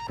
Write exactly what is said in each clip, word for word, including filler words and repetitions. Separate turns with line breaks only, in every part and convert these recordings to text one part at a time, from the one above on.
Al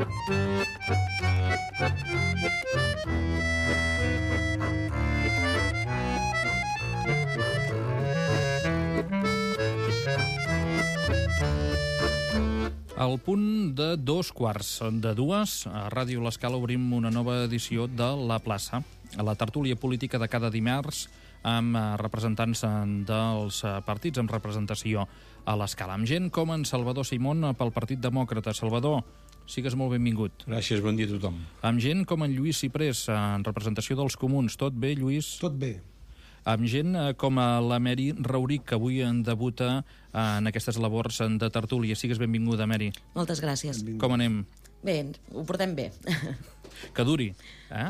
punt de dos quarts de dues, a Ràdio L'Escala obrim una nova edició de La Plaça, a la tertúlia política de cada dimarts amb representants dels partits, amb representació a l'Escala, amb gent com en Salvador Simón pel Partit Demòcrata. Salvador, sigues molt benvingut.
Gràcies, bon dia a tothom.
Amb gent com en Lluís Ciprés, en representació dels Comuns. Tot bé, Lluís?
Tot bé.
Amb gent com la Meri Rauric, que avui en debuta en aquestes labors de tertúlia. Sigues benvinguda, Meri.
Moltes gràcies.
Benvingut. Com anem?
Bé, ho portem bé.
Que duri, eh?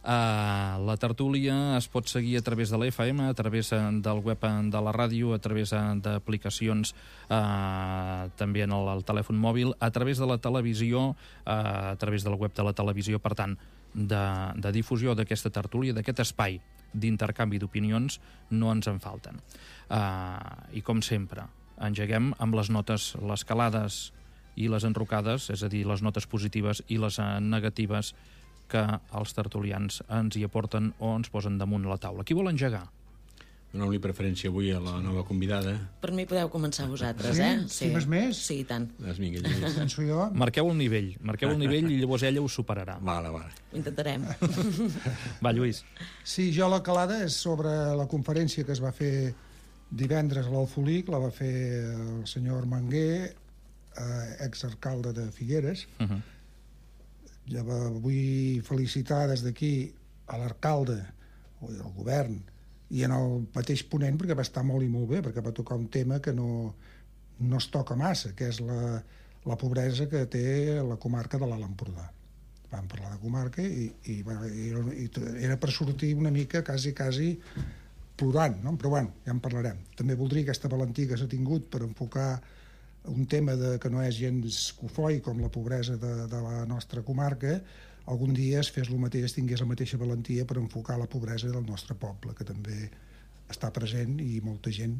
Uh, la tertúlia es pot seguir a través de l'F M, a través del web de la ràdio, a través d'aplicacions uh, també en el, el telèfon mòbil, a través de la televisió, uh, a través del web de la televisió. Per tant, de, de difusió d'aquesta tertúlia, d'aquest espai d'intercanvi d'opinions, no ens en falten. Uh, I com sempre, engeguem amb les notes, les calades i les enrocades, és a dir, les notes positives i les uh, negatives que els tertulians ens hi aporten o ens posen damunt la taula. Qui vol engegar?
Donem-li preferència avui a la nova convidada.
Per mi podeu començar vosaltres,
sí?
eh?
Sí. Si més?
Sí, i tant.
Doncs vinga, Lluís.
Penso jo.
Marqueu el nivell, marqueu el nivell i llavors ella us superarà.
Vale, vale.
Ho intentarem.
Va, Lluís.
Sí, jo la calada és sobre la conferència que es va fer divendres a l'Alfolic, la va fer el senyor Armenguer, eh, exalcalde de Figueres. Uh -huh. Ja vull felicitar des d'aquí a l'alcalde, al govern, i en el mateix ponent, perquè va estar molt i molt bé, perquè va tocar un tema que no, no es toca massa, que és la, la pobresa que té la comarca de l'Alt Empordà. Vam parlar de comarca i, i, bueno, i era per sortir una mica quasi, quasi plorant, no? Però bueno, ja en parlarem. També voldria aquesta valentia que s'ha tingut per enfocar un tema de, que no és gens cofoi com la pobresa de, de la nostra comarca, algun dia es fes el mateix, tingués la mateixa valentia per enfocar la pobresa del nostre poble, que també està present i molta gent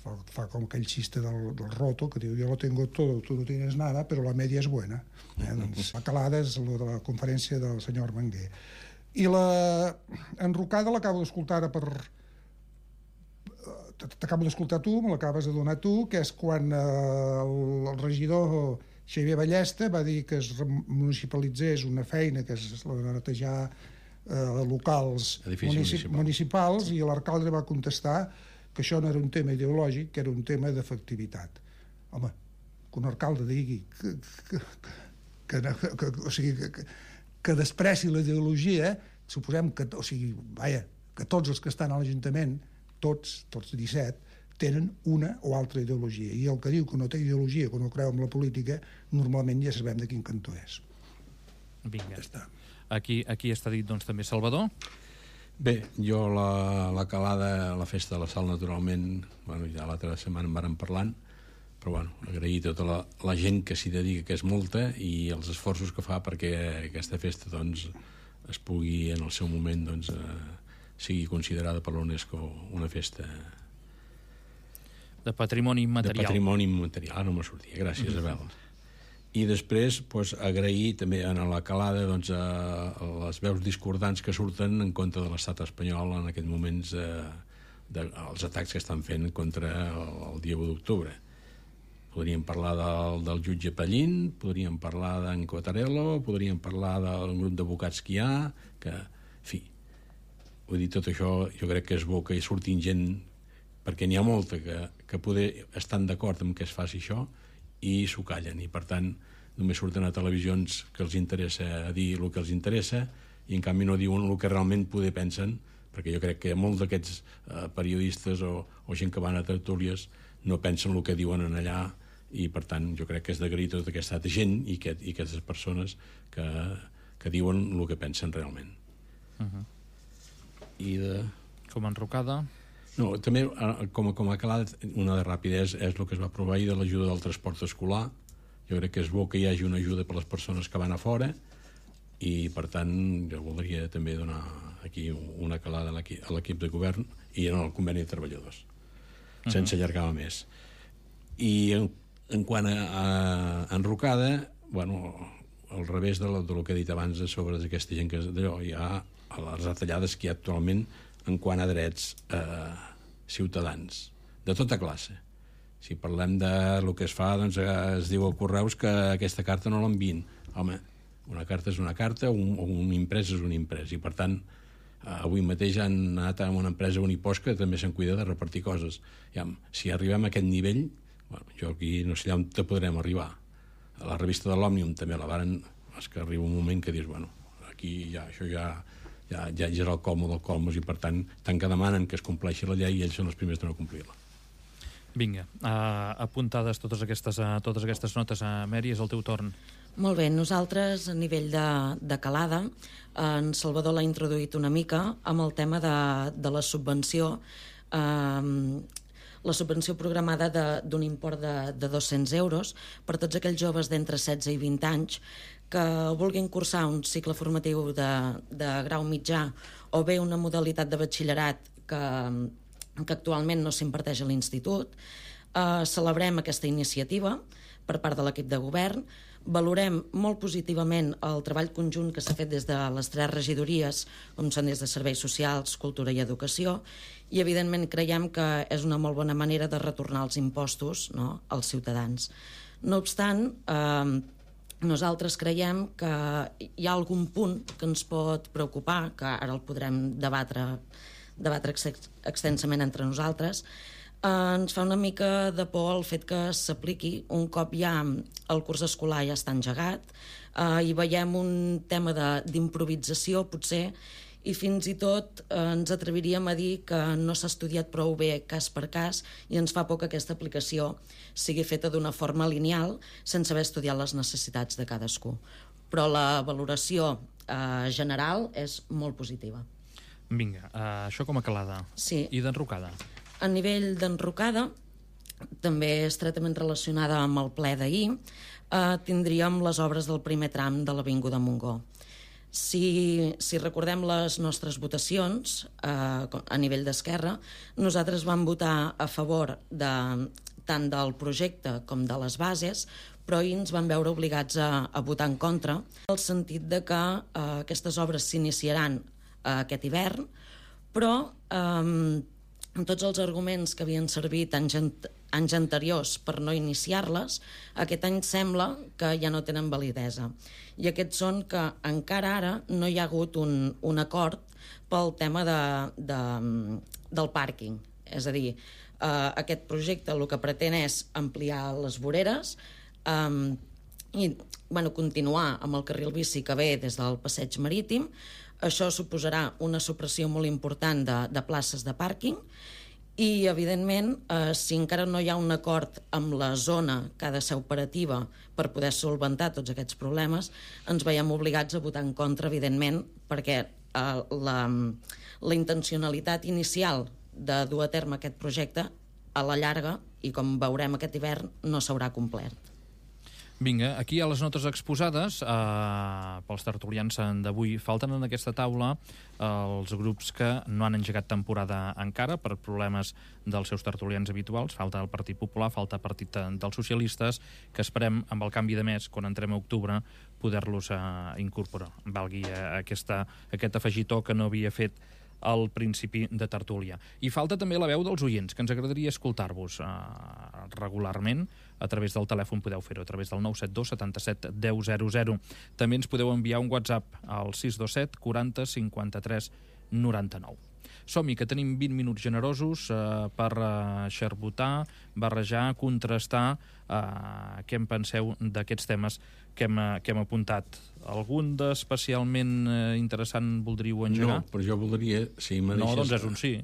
fa, fa com aquell xiste del, del roto, que diu, jo lo tengo todo, tu no tienes nada, però la media és buena. Eh? Doncs la calada és la de la conferència del senyor Armenguer. I la enrocada l'acabo d'escoltar ara per... t'acabo d'escoltar tu, me l'acabes de donar tu, que és quan eh, el, el regidor Xavier Ballesta va dir que es municipalitzés una feina que és la de netejar eh, locals municip
municipal.
municipals, i l'alcalde va contestar que això no era un tema ideològic, que era un tema d'efectivitat. Home, que un alcalde digui que, que, que, que, que, o sigui, que, que despreci la ideologia, suposem que, o sigui, vaja, que tots els que estan a l'Ajuntament, tots, tots disset, tenen una o altra ideologia, i el que diu que no té ideologia, que no creu en la política, normalment ja sabem de quin cantó és.
Vinga, ja aquí, aquí està dit doncs també Salvador.
Bé, jo la, la calada, la festa de la sal, naturalment, bueno, ja l'altra setmana en vàrem parlant, però bueno, agrair tota la, la gent que s'hi dedica, que és molta, i els esforços que fa perquè aquesta festa doncs es pugui en el seu moment doncs eh, sigui considerada per l'UNESCO una festa
de patrimoni immaterial.
De patrimoni immaterial, ara no me sortia, gràcies, mm-hmm. Abel. I després, doncs, agrair també a la calada doncs, a, a les veus discordants que surten en contra de l'estat espanyol en aquests moments, eh, de, els atacs que estan fent contra el, el dia u d'octubre. Podríem parlar del, del jutge Pallín, podríem parlar d'en Cotarello, podríem parlar del grup d'advocats que hi ha, que, en fi, vull dir, tot això jo crec que és bo que hi surtin gent, perquè n'hi ha molta que, que poder estan d'acord amb que es faci això i s'ho callen, i per tant només surten a televisions que els interessa dir el que els interessa, i en canvi no diuen el que realment poder pensen, perquè jo crec que molts d'aquests eh, periodistes o, o gent que van a tertúlies no pensen el que diuen en allà, i per tant jo crec que és d'agrair tota aquesta gent i, que, i aquestes persones que, que diuen el que pensen realment.
Uh-huh.
I de...
Com enrocada...
No, també, com, com a calada, una de rapidesa és el que es va aprovar ahir de l'ajuda del transport escolar. Jo crec que és bo que hi hagi una ajuda per les persones que van a fora, i per tant jo voldria també donar aquí una calada a l'equip de govern i en el conveni de treballadors, sense uh-huh. allargar més. I en, en quant a, a enrocada, bueno, al revés de lo, de lo que he dit abans sobre aquesta gent que d'allò, hi ha les retallades que hi ha actualment en quant a drets eh, ciutadans, de tota classe. Si parlem de lo que es fa, doncs es diu a Correus que aquesta carta no l'envien. Home, una carta és una carta, un, un imprès és un imprès, i per tant, eh, avui mateix han anat a una empresa Unipost que també se'n cuida de repartir coses. Ja, si arribem a aquest nivell, bueno, jo aquí no sé on te podrem arribar. A la revista de l'Òmnium també la varen, és que arriba un moment que dius, bueno, aquí ja, això ja, ja, ja és el colmo del colmos, i per tant, tant que demanen que es compleixi la llei, i ells són els primers de no complir-la.
Vinga, uh, apuntades totes aquestes, uh, totes aquestes notes. Uh, Mary, és el teu torn.
Molt bé, nosaltres a nivell de, de calada, en Salvador l'ha introduït una mica amb el tema de, de la subvenció, eh, la subvenció programada d'un import de, de dos-cents euros per tots aquells joves d'entre setze i vint anys que vulguin cursar un cicle formatiu de, de grau mitjà o bé una modalitat de batxillerat que, que actualment no s'imparteix a l'institut. Eh, celebrem aquesta iniciativa per part de l'equip de govern. Valorem molt positivament el treball conjunt que s'ha fet des de les tres regidories, com són des de Serveis Socials, Cultura i Educació, i evidentment creiem que és una molt bona manera de retornar els impostos, no?, als ciutadans. No obstant, eh, nosaltres creiem que hi ha algun punt que ens pot preocupar, que ara el podrem debatre, debatre ex extensament entre nosaltres. Uh, ens fa una mica de por el fet que s'apliqui un cop ja el curs escolar ja està engegat, uh, i veiem un tema d'improvisació potser, i fins i tot uh, ens atreviríem a dir que no s'ha estudiat prou bé cas per cas, i ens fa por que aquesta aplicació sigui feta d'una forma lineal sense haver estudiat les necessitats de cadascú. Però la valoració uh, general és molt positiva.
Vinga, uh, això com a calada.
Sí.
I d'enrocada?
A nivell d'enrocada, també estretament relacionada amb el ple d'ahir, eh, tindríem les obres del primer tram de l'Avinguda Montgó. Si, si recordem les nostres votacions, eh, a nivell d'Esquerra, nosaltres vam votar a favor de, tant del projecte com de les bases, però ahir ens vam veure obligats a, a votar en contra, en el sentit de que eh, aquestes obres s'iniciaran eh, aquest hivern, però eh, amb tots els arguments que havien servit anys, anys anteriors per no iniciar-les, aquest any sembla que ja no tenen validesa. I aquests són que encara ara no hi ha hagut un, un acord pel tema de, de, del pàrquing. És a dir, eh, aquest projecte el que pretén és ampliar les voreres eh, i bueno, continuar amb el carril bici que ve des del passeig marítim. Això suposarà una supressió molt important de, de places de pàrquing i, evidentment, eh, si encara no hi ha un acord amb la zona que ha de ser operativa per poder solventar tots aquests problemes, ens veiem obligats a votar en contra, evidentment, perquè eh, la, la intencionalitat inicial de dur a terme aquest projecte a la llarga, i com veurem aquest hivern, no s'haurà complert.
Vinga, aquí hi ha les notes exposades eh, pels tertulians d'avui. Falten en aquesta taula eh, els grups que no han engegat temporada encara per problemes dels seus tertulians habituals. Falta el Partit Popular, falta el Partit dels Socialistes, que esperem, amb el canvi de mes, quan entrem a octubre, poder-los eh, incorporar. Valgui eh, aquesta, aquest afegitó que no havia fet al principi de tertúlia. I falta també la veu dels oients, que ens agradaria escoltar-vos eh, regularment. A través del telèfon podeu fer-ho, a través del nou set dos setanta-set deu zero zero. També ens podeu enviar un WhatsApp al sis dos set quaranta cinquanta-tres noranta-nou. Som-hi, que tenim vint minuts generosos eh, per eh, xerbotar, barrejar, contrastar eh, què en penseu d'aquests temes que hem, que hem apuntat. Algun d'especialment eh, interessant voldríeu engegar?
No, però jo voldria, si me deixes...
No, doncs és un sí.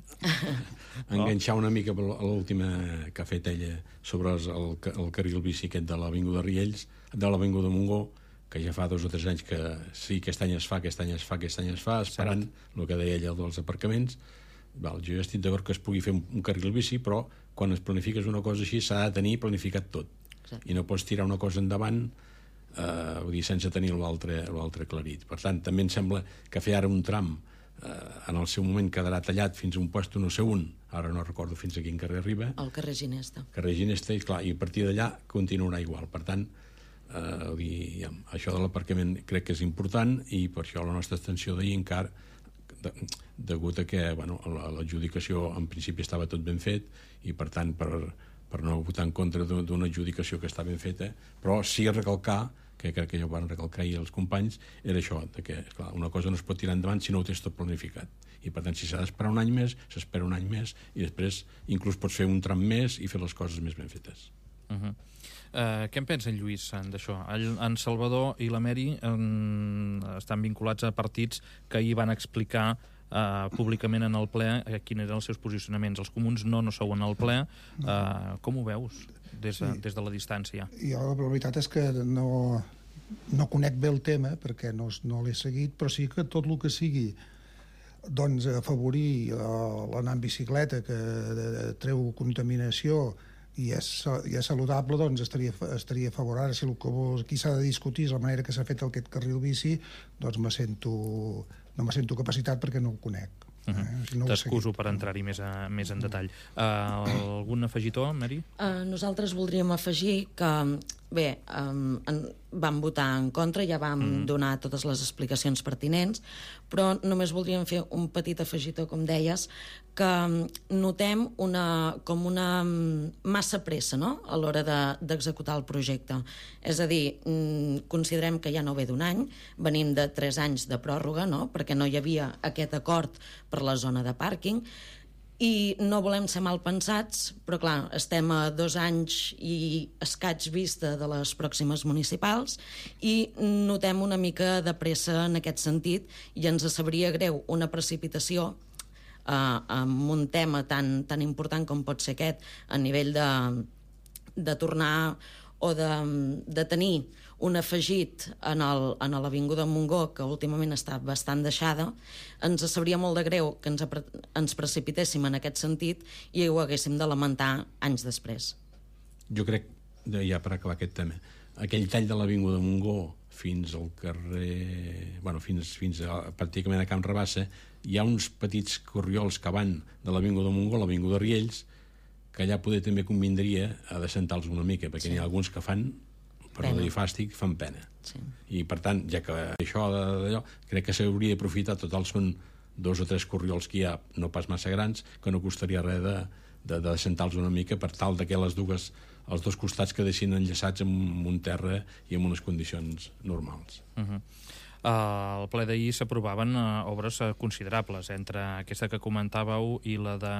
enganxar una mica a l'última que ha fet ella sobre el, el carril bici aquest de l'Avinguda Riells, de l'Avinguda Montgó, que ja fa dos o tres anys que sí, aquest any es fa, aquest any es fa, aquest any es fa, esperant el que deia ella dels aparcaments. Val, jo ja estic d'acord que es pugui fer un, un carril bici, però quan es planifiques una cosa així s'ha de tenir planificat tot. Exacte. I no pots tirar una cosa endavant eh, vull dir, sense tenir l'altre aclarit. Per tant, també em sembla que fer ara un tram eh, en el seu moment quedarà tallat fins a un puesto no sé un, ara no recordo fins a quin carrer arriba.
El carrer Ginesta.
Carrer Ginesta, i clar, i a partir d'allà continuarà igual. Per tant, eh, li, ja, això de l'aparcament crec que és important, i per això la nostra abstenció d'ahir encara, de, degut a que bueno, l'adjudicació en principi estava tot ben fet, i per tant per, per no votar en contra d'una adjudicació que està ben feta, però sí recalcar, que crec que ja ho van recalcar ahir els companys, era això, de que clar, una cosa no es pot tirar endavant si no ho tens tot planificat, i per tant si s'ha d'esperar un any més, s'espera un any més, i després inclús pots fer un tram més i fer les coses més ben fetes.
Uh-huh. Uh, què en pensa en Lluís d'això? En Salvador i la Mary um, estan vinculats a partits que ahir van explicar uh, públicament en el ple uh, quins eren els seus posicionaments. Els comuns no, no sou en el ple. Uh, com ho veus des de, sí. des de la distància?
Jo la veritat és que no, no conec bé el tema perquè no, no l'he seguit, però sí que tot el que sigui doncs, afavorir l'anar en bicicleta, que treu contaminació i és, i és saludable, doncs estaria, estaria favorable. Si el que aquí s'ha de discutir és la manera que s'ha fet aquest carril bici, doncs me sento, no me sento capacitat perquè no el conec.
Uh -huh. eh? si no T'excuso per entrar-hi més, a, més en detall. Uh, algun afegitó, Mary?
Uh, nosaltres voldríem afegir que, bé, um, en, vam votar en contra, ja vam mm. donar totes les explicacions pertinents, però només voldríem fer un petit afegitó, com deies, que notem una, com una massa pressa, no?, a l'hora d'executar de, el projecte. És a dir, considerem que ja no ve d'un any, venim de tres anys de pròrroga, no?, perquè no hi havia aquest acord per la zona de pàrquing, i no volem ser mal pensats, però clar, estem a dos anys i escaig vista de les pròximes municipals i notem una mica de pressa en aquest sentit, i ens sabria greu una precipitació Uh, amb un tema tan, tan important com pot ser aquest, a nivell de, de tornar o de, de tenir un afegit en, el, en l'Avinguda Montgó, que últimament està bastant deixada. Ens sabria molt de greu que ens, ens precipitéssim en aquest sentit i ho haguéssim de lamentar anys després.
Jo crec, ja per acabar aquest tema, aquell tall de l'Avinguda Montgó fins al carrer... Bueno, fins, fins a, pràcticament a Camp Rabassa, hi ha uns petits corriols que van de l'Avinguda Montgó a l'Avinguda Riells, que allà poder també convindria a decentar-los una mica, perquè sí. N'hi ha alguns que fan, per no dir fàstic, fan pena.
Sí.
I per tant, ja que això d'allò, crec que s'hauria d'aprofitar, total són dos o tres corriols que hi ha, no pas massa grans, que no costaria res de, de, de decentar-los una mica per tal de que les dues, els dos costats quedessin enllaçats amb un terra i en unes condicions normals.
Uh-huh. Uh, al ple d'ahir s'aprovaven uh, obres uh, considerables, entre aquesta que comentàveu i la de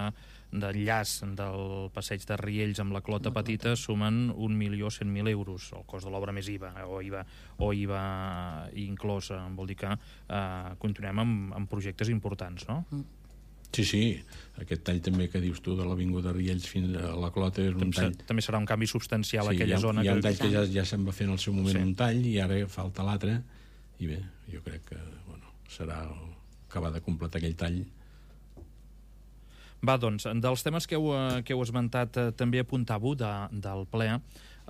d'enllaç del passeig de Riells amb la Clota Petita sumen un milió cent mil euros, el cost de l'obra més I V A, o I V A, o I V A inclòs. Vol dir que uh, continuem amb, amb projectes importants, no? Mm.
Sí, sí, aquest tall també que dius tu de l'Avinguda Riells fins a la Clota és un tall...
També serà un canvi substancial a
sí,
aquella
ha,
zona.
Hi ha un tall
que,
que ja, ja se'n va fer en el seu moment, sí. Un tall, i ara falta l'altre, i bé, jo crec que bueno, serà acabar de completar aquell tall.
Va, doncs, dels temes que heu, que heu esmentat, eh, també apuntàveu de, del ple eh,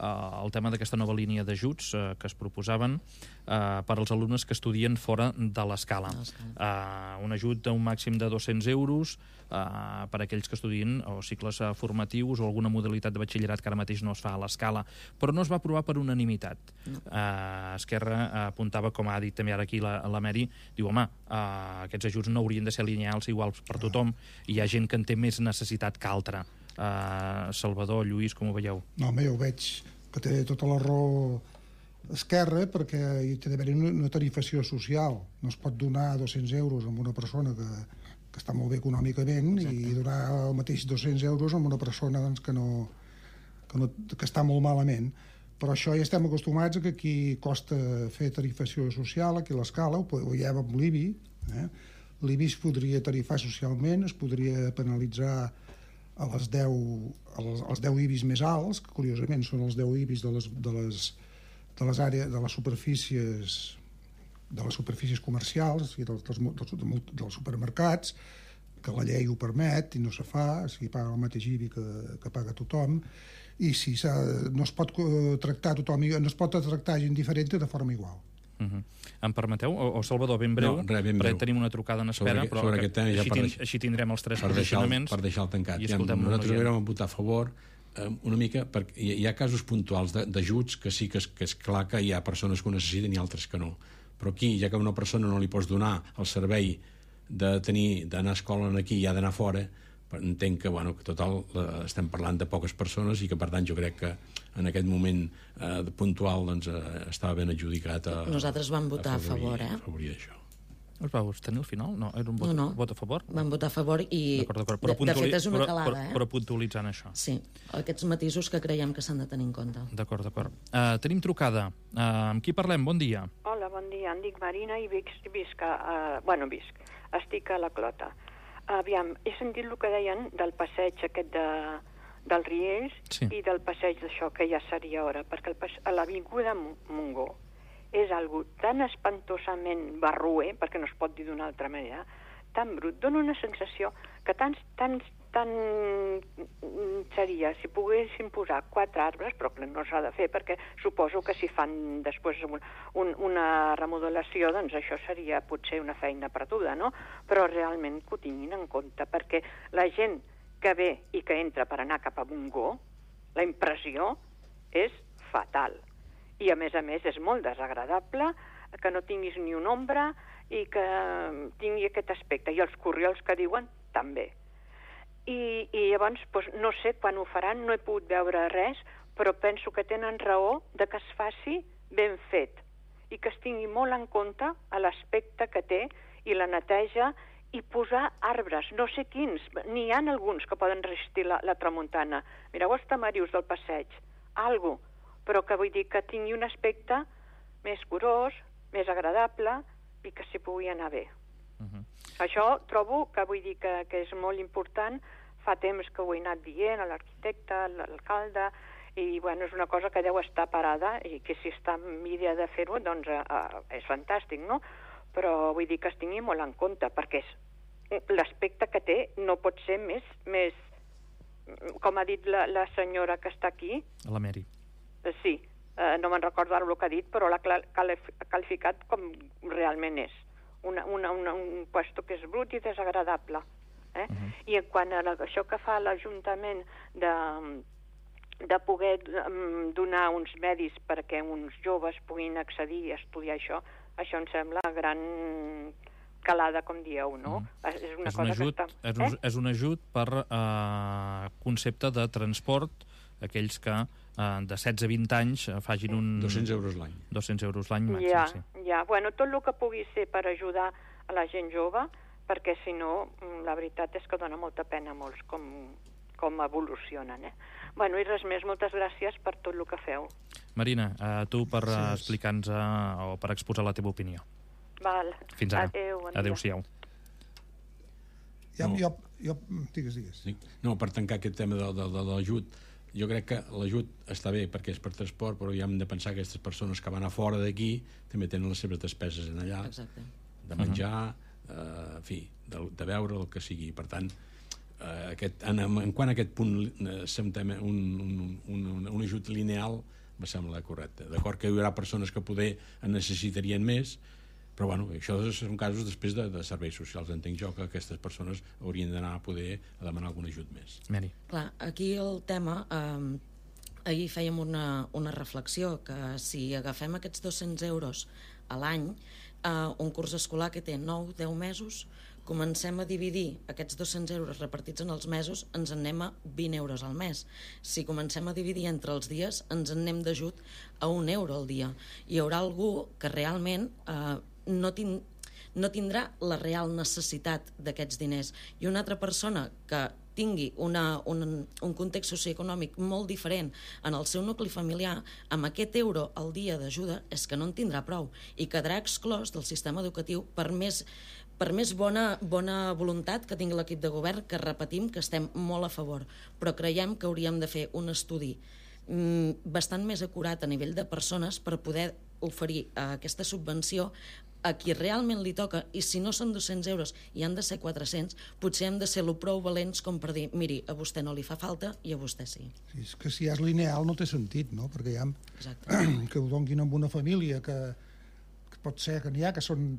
el tema d'aquesta nova línia d'ajuts eh, que es proposaven eh, per als alumnes que estudien fora de l'escala. Eh, un ajut d'un màxim de dos-cents euros eh, per a aquells que estudien o cicles eh, formatius o alguna modalitat de batxillerat que ara mateix no es fa a l'escala, però no es va aprovar per unanimitat. No. Eh, Esquerra eh, apuntava, com ha dit també ara aquí la, la Mary, diu, home, eh, aquests ajuts no haurien de ser lineals iguals per tothom, i hi ha gent que en té més necessitat que altra. Uh, Salvador, Lluís, com ho veieu?
No, home, jo veig que té tota la raó Esquerra, perquè hi té d'haver una tarifació social. No es pot donar dos-cents euros a una persona que, que està molt bé econòmicament. Exacte. I donar el mateix dos-cents euros a una persona doncs, que, no, que, no, que està molt malament. Però això ja estem acostumats a que aquí costa fer tarifació social, aquí a l'escala, ho veiem amb l'I B I. Eh? L'I B I es podria tarifar socialment, es podria penalitzar a les deu, als, als deu I B Is més alts, que curiosament són els deu I B Is de les, de les, de les àrees, de les superfícies de les superfícies comercials i dels, dels, dels, dels supermercats, que la llei ho permet i no se fa, si paga el mateix I B I que, que paga tothom, i si no es pot tractar tothom, no es pot tractar gent diferent de forma igual.
Uh-huh. Em permeteu? O, o Salvador, ben breu,
no, res, ben breu.
Tenim una trucada en espera,
sobre,
però
sobre
que,
tema, ja
així,
per
tin,
deixar,
així tindrem els tres
per
posicionaments.
Deixar, per deixar el tancat.
I
ja, nosaltres vam votar a favor, una mica, perquè hi ha casos puntuals d'ajuts que sí que és, que és clar que hi ha persones que ho necessiten i altres que no, però aquí, ja que a una persona no li pots donar el servei de tenir d'anar a escola aquí i ha d'anar fora, entenc que, bueno, que total eh, estem parlant de poques persones i que per tant jo crec que en aquest moment eh, puntual doncs, eh, estava ben adjudicat a,
nosaltres vam votar a,
afavorir,
a favor, eh?
a afavorir això.
Us vau abstenir al final? No, era un vot,
no, no.
vot a favor?
Vam votar a favor i,
d'acord, d'acord. Però
de, de fet, és una
però,
calada,
però,
eh?
Però puntualitzant això.
Sí, aquests matisos que creiem que s'han de tenir en compte.
D'acord, d'acord. Uh, tenim trucada. Uh, amb qui parlem? Bon dia.
Hola, bon dia. Em dic Marina i visc, visc a... Uh, bueno, visc. Estic a la Clota. Aviam, he sentit el que deien del passeig aquest de, dels Riells
sí.
i del passeig d'això, que ja seria hora, perquè el, a l'Avinguda Montgó és algo tan espantosament barruer, perquè no es pot dir d'una altra manera, tan brut, dona una sensació que tan, tan, tan seria, si poguessin posar quatre arbres, però que no s'ha de fer, perquè suposo que si fan després un, un, una remodelació, doncs això seria potser una feina perduda, no? Però realment que ho tinguin en compte, perquè la gent que ve i que entra per anar cap a Montgó, la impressió és fatal. I, a més a més, és molt desagradable que no tinguis ni una ombra i que tingui aquest aspecte. I els corriols que diuen, també. I, i llavors, doncs, no sé quan ho faran, no he pogut veure res, però penso que tenen raó de que es faci ben fet i que es tingui molt en compte a l'aspecte que té i la neteja i posar arbres, no sé quins. N'hi ha alguns que poden resistir la, la tramuntana. Mireu els tamarius del passeig, algo, però que vull dir que tingui un aspecte més curós, més agradable i que s'hi pugui anar bé. Uh-huh. Això trobo que vull dir que, que és molt important. Fa temps que ho he anat dient a l'arquitecte, a l'alcalde, i bueno, és una cosa que deu estar parada i que si està en idea de fer-ho, doncs uh, és fantàstic, no? Però vull dir que es tingui molt en compte, perquè és l'aspecte que té no pot ser més, més com ha dit la, la senyora que està aquí.
La Mary.
Sí, eh, no me'n recordo ara el que ha dit, però l'ha qualificat com realment és. Una, una, una, un puesto que és brut i desagradable. Eh? Uh-huh. I en quant a la, això que fa l'Ajuntament de, de poder donar uns medis perquè uns joves puguin accedir i estudiar això, això em sembla gran calada, com dieu, no? Uh-huh. És una
és
cosa
un ajut,
que està...
És un, eh? és un ajut per eh, concepte de transport, aquells que eh, de setze a vint anys facin un...
dos-cents euros l'any.
dos-cents euros l'any màxim,
ja,
sí.
Ja, bueno, tot el que pugui ser per ajudar a la gent jove, perquè si no, la veritat és que dona molta pena a molts com, com evolucionen, eh? Bueno, i res més, moltes gràcies per tot el que feu.
Marina, a tu per
sí.
explicar-nos o per exposar la teva opinió.
Val.
Fins ara.
Adéu, bon
Adéu-siau.
Ja,
no.
jo, jo, digues, digues.
No, per tancar aquest tema de, de, de l'ajut, jo crec que l'ajut està bé perquè és per transport, però ja hem de pensar que aquestes persones que van a fora d'aquí també tenen les seves despeses en allà.
Exacte.
De menjar, uh-huh. eh, en fi, de, de beure, el que sigui. Per tant, eh, aquest, en, en quant a aquest punt eh, un, un, un, un ajut lineal me sembla correcte. D'acord que hi haurà persones que poder en necessitarien més, però bueno, això són casos després de, de serveis socials. Entenc jo que aquestes persones haurien d'anar a poder a demanar algun ajut més.
Mary.
Clar, aquí el tema... Eh, ahir fèiem una, una reflexió que si agafem aquests dos-cents euros a l'any, eh, un curs escolar que té nou a deu mesos, comencem a dividir aquests dos-cents euros repartits en els mesos, ens en anem a vint euros al mes. Si comencem a dividir entre els dies, ens en anem d'ajut a un euro al dia. Hi haurà algú que realment eh, no, tin, no tindrà la real necessitat d'aquests diners. I una altra persona que tingui una, un, un context socioeconòmic molt diferent en el seu nucli familiar, amb aquest euro al dia d'ajuda és que no en tindrà prou i quedarà exclòs del sistema educatiu per més, per més bona, bona voluntat que tingui l'equip de govern, que repetim que estem molt a favor, però creiem que hauríem de fer un estudi mm, bastant més acurat a nivell de persones per poder oferir eh, aquesta subvenció a qui realment li toca, i si no són dos-cents euros i han de ser quatre-cents, potser hem de ser lo prou valents com per dir, miri, a vostè no li fa falta i a vostè sí.
Sí, és que si és lineal no té sentit, no? Perquè hi ha
Exacte.
que ho donguin amb una família que, que pot ser que n'hi ha que són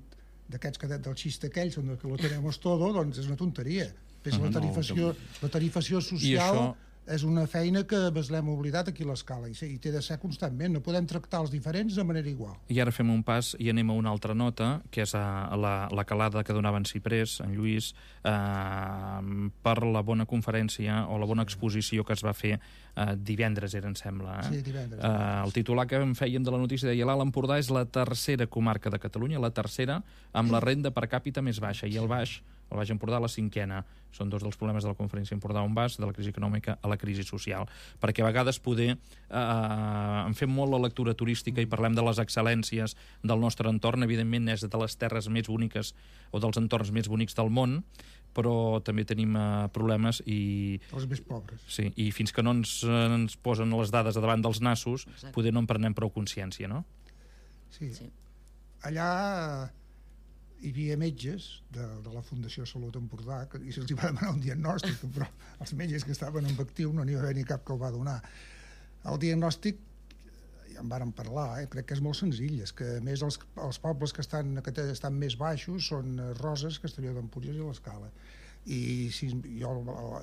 d'aquests que del xiste aquells on que lo tenemos todo, doncs és una tonteria. Ves, la tarifació, la tarifació social és una feina que ens l'hem oblidat aquí a l'Escala i, i té de ser constantment, no podem tractar els diferents de manera igual.
I ara fem un pas i anem a una altra nota, que és a, a la, la calada que donava en Ciprés, en Lluís, eh, per la bona conferència o la bona exposició que es va fer eh, divendres, era, em sembla. Eh?
Sí, divendres.
Eh, el titular que em fèiem de la notícia deia l'Alt Empordà és la tercera comarca de Catalunya, la tercera amb la renda per càpita més baixa, i el Baix, el Baix Empordà, la cinquena. Són dos dels problemes de la conferència Empordà on vas, de la crisi econòmica a la crisi social. Perquè a vegades poder eh, en fem molt la lectura turística i parlem de les excel·lències del nostre entorn, evidentment és de les terres més boniques o dels entorns més bonics del món, però també tenim eh, problemes i...
Els més pobres.
Sí, i fins que no ens, ens posen les dades a davant dels nassos,
Exacte.
poder no en prenem prou consciència, no?
Sí.
Sí.
Allà hi havia metges de, de la Fundació Salut Empordà que, i se'ls va demanar un diagnòstic, però els metges que estaven en actiu no n'hi va haver ni cap que el va donar. El diagnòstic, ja en vàrem parlar, eh, crec que és molt senzill, és que a més els, els pobles que estan, que estan més baixos són Roses, Castelló d'Empúries i l'Escala. I si, jo,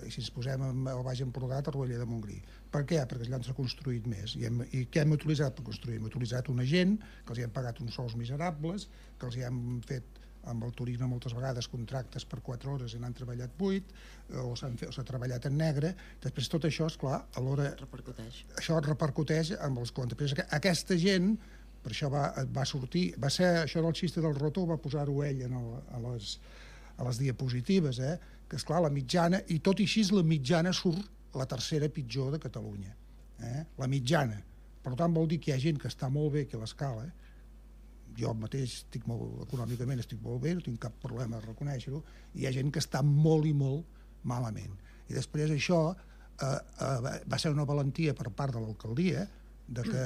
i si ens posem al Baix Empordà, Torroella de Montgrí. Per què? Perquè allà s'ha construït més. I, hem, I què hem utilitzat per construir? Hem utilitzat una gent que els hi hem pagat uns sous miserables, que els hi hem fet amb el turisme moltes vegades contractes per quatre hores i n'han treballat vuit, o s'ha treballat en negre. Després tot això, esclar, alhora
Repercuteix.
això repercuteix amb els comptes. Aquesta gent, per això va, va sortir, va ser això del xiste del roto, va posar-ho ell en el, a, les, a les diapositives, eh? Que esclar, la mitjana, i tot i així la mitjana surt la tercera pitjor de Catalunya. Eh? La mitjana. Per tant, vol dir que hi ha gent que està molt bé aquí a l'Escala, eh? Jo mateix estic molt, econòmicament estic molt bé, no tinc cap problema a reconèixer-ho, i hi ha gent que està molt i molt malament. I després això eh, eh, va ser una valentia per part de l'alcaldia de que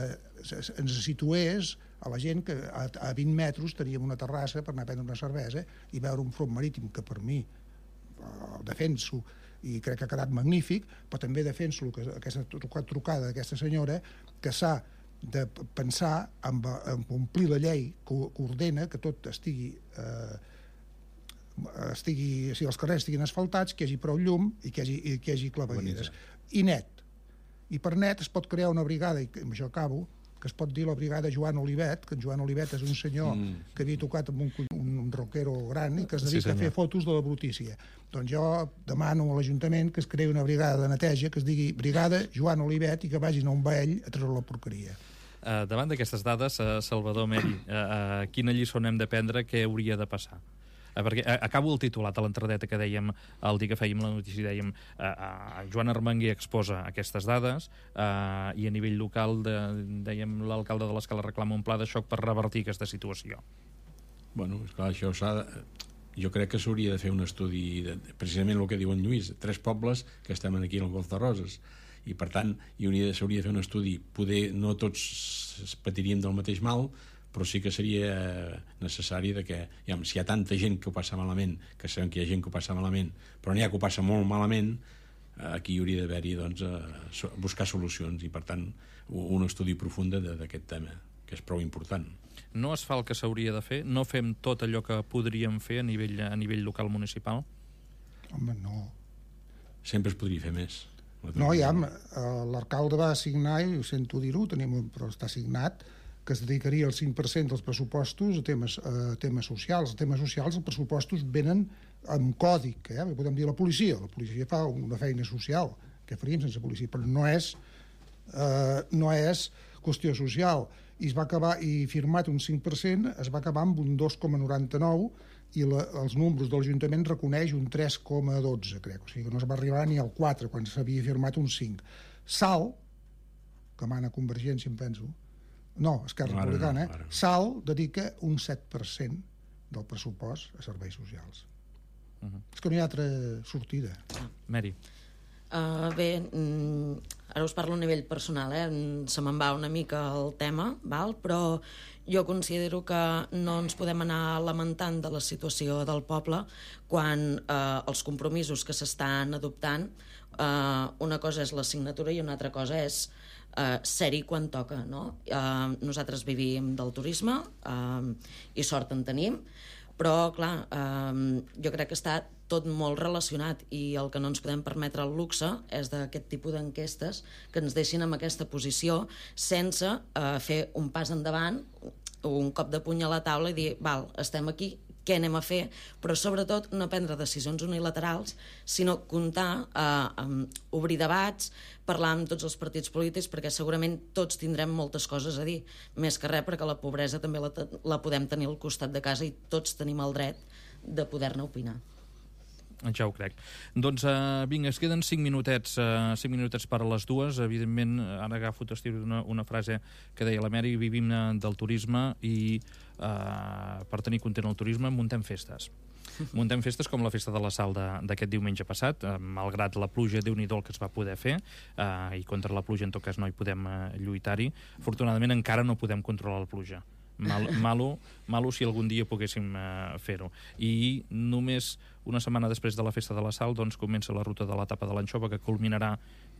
ens situés a la gent que a, a vint metres teníem una terrassa per anar a prendre una cervesa i veure un front marítim que per mi eh, defenso i crec que ha quedat magnífic, però també defenso que aquesta trucada d'aquesta senyora que s'ha de pensar en, en complir la llei que, que ordena que tot estigui, eh, estigui o sigui, els carrers estiguin asfaltats, que hi hagi prou llum i que hi hagi, i que hi hagi clavegueres. I net. I per net es pot crear una brigada, i amb això acabo, que es pot dir la brigada Joan Olivet, que en Joan Olivet és un senyor mm. que havia tocat amb un, un, un rockero gran i que es dedica sí, a fer fotos de la brutícia. Doncs jo demano a l'Ajuntament que es creï una brigada de neteja que es digui Brigada Joan Olivet i que vagin a un baell a treure la porqueria.
Uh, davant d'aquestes dades, uh, Salvador Meri, uh, uh, quina lliçó n'hem de prendre, què hauria de passar? Uh, perquè uh, acabo el titulat a l'entradeta que dèiem el dia que fèiem la notícia, dèiem uh, uh, Joan Armenguer exposa aquestes dades uh, i a nivell local de, dèiem l'alcalde de l'Escala reclama un pla de xoc per revertir aquesta situació.
Bueno, esclar, això s'ha de... Jo crec que s'hauria de fer un estudi de, precisament el que diu en Lluís, tres pobles que estem aquí al Golf de Roses, i per tant s'hauria de fer un estudi, poder no tots patiríem del mateix mal, però sí que seria necessari de que, ja, si hi ha tanta gent que ho passa malament, que sabem que hi ha gent que ho passa malament, però n'hi ha que ho passa molt malament, aquí hi hauria d'haver-hi doncs, buscar solucions i per tant un estudi profund d'aquest tema, que és prou important.
No es fa el que s'hauria de fer? No fem tot allò que podríem fer a nivell, a nivell local municipal?
Home, no.
Sempre es podria fer més.
No, ja, l'alcalde va assignar, i ho sento dir-ho, tenim, però està assignat, que es dedicaria el cinc per cent dels pressupostos a temes, a temes socials. Els temes socials, els pressupostos venen amb còdic, eh? Podem dir la policia. La policia fa una feina social, que faríem sense policia, però no és, eh, no és qüestió social. I es va acabar, i firmat un cinc per cent, es va acabar amb un dos coma noranta-nou i la, els números de l'Ajuntament reconeix un tres coma dotze, crec. O sigui que no es va arribar ni al quatre, quan s'havia firmat un cinc. Sal, que mana Convergència, em penso, no, Esquerra
no,
Republicana,
no, no.
Sal dedica un set per cent del pressupost a serveis socials. Uh -huh. És que no hi ha altra sortida.
Ah. Meri.
Uh, bé, mm, ara us parlo a nivell personal, eh? Se me'n va una mica el tema, val? Però jo considero que no ens podem anar lamentant de la situació del poble quan eh, els compromisos que s'estan adoptant, eh, una cosa és la signatura i una altra cosa és eh, ser-hi quan toca, no? Eh, nosaltres vivim del turisme eh, i sort en tenim, Però, clar, eh, jo crec que està tot molt relacionat i el que no ens podem permetre el luxe és d'aquest tipus d'enquestes que ens deixin en aquesta posició sense eh, fer un pas endavant, un cop de puny a la taula i dir, val, estem aquí, què anem a fer, però sobretot no prendre decisions unilaterals, sinó comptar, eh, obrir debats, parlar amb tots els partits polítics, perquè segurament tots tindrem moltes coses a dir, més que res perquè la pobresa també la, la podem tenir al costat de casa i tots tenim el dret de poder-ne opinar.
Ja ho crec. Doncs uh, vinga, es queden cinc minutets, uh, cinc minutets per a les dues. Evidentment, ara agafo una, una frase que deia la Mary, vivim del turisme i uh, per tenir content el turisme muntem festes. Muntem festes com la Festa de la Sal d'aquest diumenge passat, uh, malgrat la pluja, Déu-n'hi-do el que es va poder fer, uh, i contra la pluja en tot cas no hi podem uh, lluitar-hi. Afortunadament encara no podem controlar la pluja. Mal, malo, malo si algun dia poguéssim uh, fer-ho. I només una setmana després de la Festa de la Sal doncs, comença la ruta de l'etapa de l'anxova, que culminarà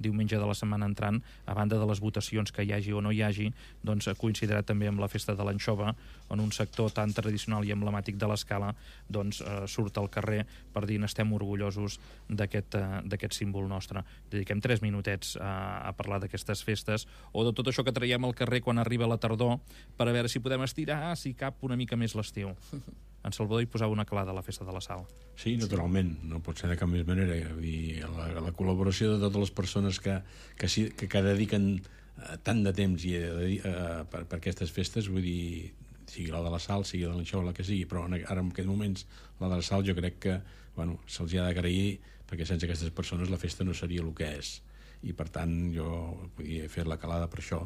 diumenge de la setmana entrant. A banda de les votacions que hi hagi o no hi hagi, doncs, coincidirà també amb la Festa de l'anxova, on un sector tan tradicional i emblemàtic de l'Escala doncs, uh, surt al carrer per dir n'estem orgullosos d'aquest uh, símbol nostre. Dediquem tres minutets uh, a parlar d'aquestes festes o de tot això que traiem al carrer quan arriba la tardor, per a veure si podem estirar, si cap, una mica més l'estiu. En Salvador hi posava una calada a la Festa de la Sal.
Sí, naturalment, no pot ser de cap més manera. I la, la col·laboració de totes les persones que, que, sí, que, que dediquen uh, tant de temps i, uh, per, per aquestes festes, vull dir, sigui la de la Sal, sigui de l'anxova, la que sigui, però ara en aquests moments la de la Sal jo crec que bueno, se'ls ha d'agrair, perquè sense aquestes persones la festa no seria el que és. I per tant jo vull dir, he fet la calada per això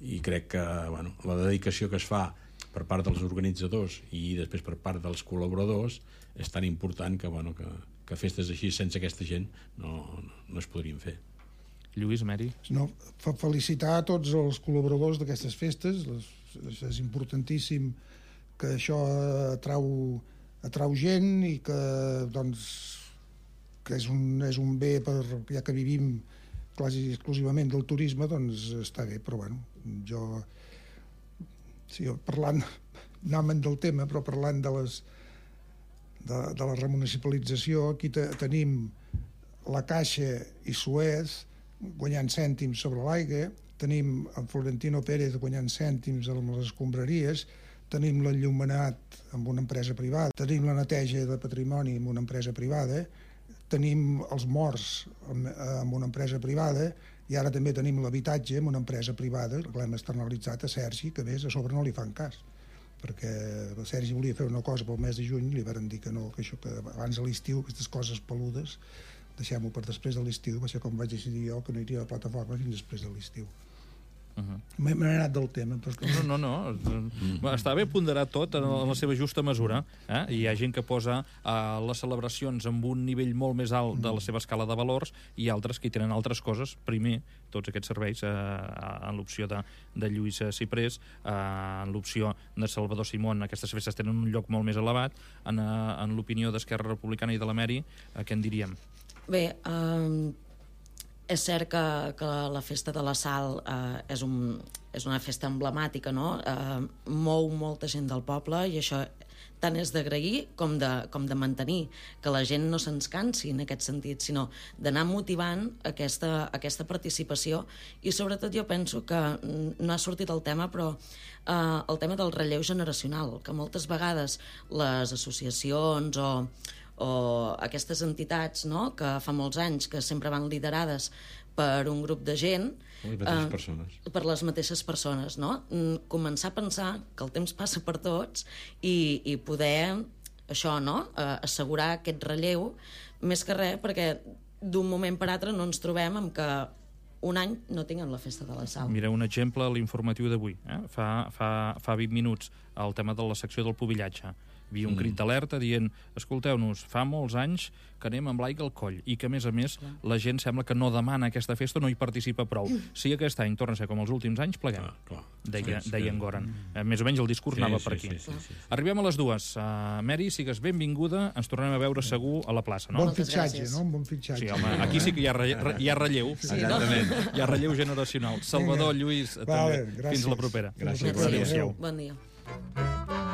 i crec que bueno, la dedicació que es fa per part dels organitzadors i després per part dels col·laboradors és tan important que, bueno, que, que festes així sense aquesta gent no, no es podrien fer.
Lluís, Mary?
No, felicitar a tots els col·laboradors d'aquestes festes. Les, és importantíssim que això atrau, atrau gent i que, doncs, que és, un, és un bé, per, ja que vivim quasi exclusivament del turisme, doncs està bé, però bueno, jo... Sí, parlant, anàvem del tema, però parlant de, les, de, de la remunicipalització, aquí te, tenim la Caixa i Suez guanyant cèntims sobre l'aigua, tenim en Florentino Pérez guanyant cèntims amb les escombraries, tenim l'enllumenat amb una empresa privada, tenim la neteja de patrimoni amb una empresa privada, tenim els morts amb, amb una empresa privada, i ara també tenim l'habitatge amb una empresa privada, que l'hem externalitzat a Sergi, que a més a sobre no li fan cas, perquè el Sergi volia fer una cosa pel mes de juny, li van dir que no, que això que abans de l'estiu, aquestes coses peludes, deixem-ho per després de l'estiu, va ser com vaig decidir jo que no iria a la plataforma fins després de l'estiu. Uh-huh. M'he anat del tema. Perquè...
No, no, no. Mm. Està bé ponderar tot en la seva justa mesura. Eh? Hi ha gent que posa uh, les celebracions amb un nivell molt més alt de la seva escala de valors i altres que hi tenen altres coses. Primer, tots aquests serveis, uh, en l'opció de, de Lluís Ciprés, uh, en l'opció de Salvador Simón, aquestes festes tenen un lloc molt més elevat. En, uh, en l'opinió d'Esquerra Republicana i de la Mary, uh, què en diríem?
Bé, eh... és cert que, que la Festa de la Sal eh, és, un, és una festa emblemàtica, no? Eh, mou molta gent del poble i això tant és d'agrair com de, com de mantenir, que la gent no se'ns cansi en aquest sentit, sinó d'anar motivant aquesta, aquesta participació i sobretot jo penso que no ha sortit el tema, però eh, el tema del relleu generacional, que moltes vegades les associacions o o aquestes entitats, no?, que fa molts anys que sempre van liderades per un grup de gent,
les mateixes eh, persones.
per les mateixes persones, no? Començar a pensar que el temps passa per tots i, i poder això, no?, eh, assegurar aquest relleu, més que res perquè d'un moment per altre no ens trobem amb que un any no tinguem la Festa de la Sal.
Mira, un exemple a l'informatiu d'avui, eh? fa, fa, fa vint minuts, el tema de la secció del pubillatge. Hi havia un crit d'alerta dient, escolteu-nos, fa molts anys que anem amb l'aigua al coll i que, a més a més, clar, la gent sembla que no demana aquesta festa, no hi participa prou. Si aquest any torna a ser com els últims anys, pleguem. Clar, clar. Deia, sí, deia en Goran. Mm. Més o menys el discurs sí, anava per aquí. Sí, sí, sí, sí, sí. Arribem a les dues. Uh, Mary, sigues benvinguda. Ens tornem a veure segur a la plaça, no?
Bon fitxatge, no? Un bon fitxatge.
Sí, home, aquí sí que hi ha, re, re, hi ha relleu.
Sí, no?
Hi ha relleu generacional. Salvador, Lluís, vale, també. Gràcies. Fins la propera.
Gràcies.
Gràcies. Bon dia.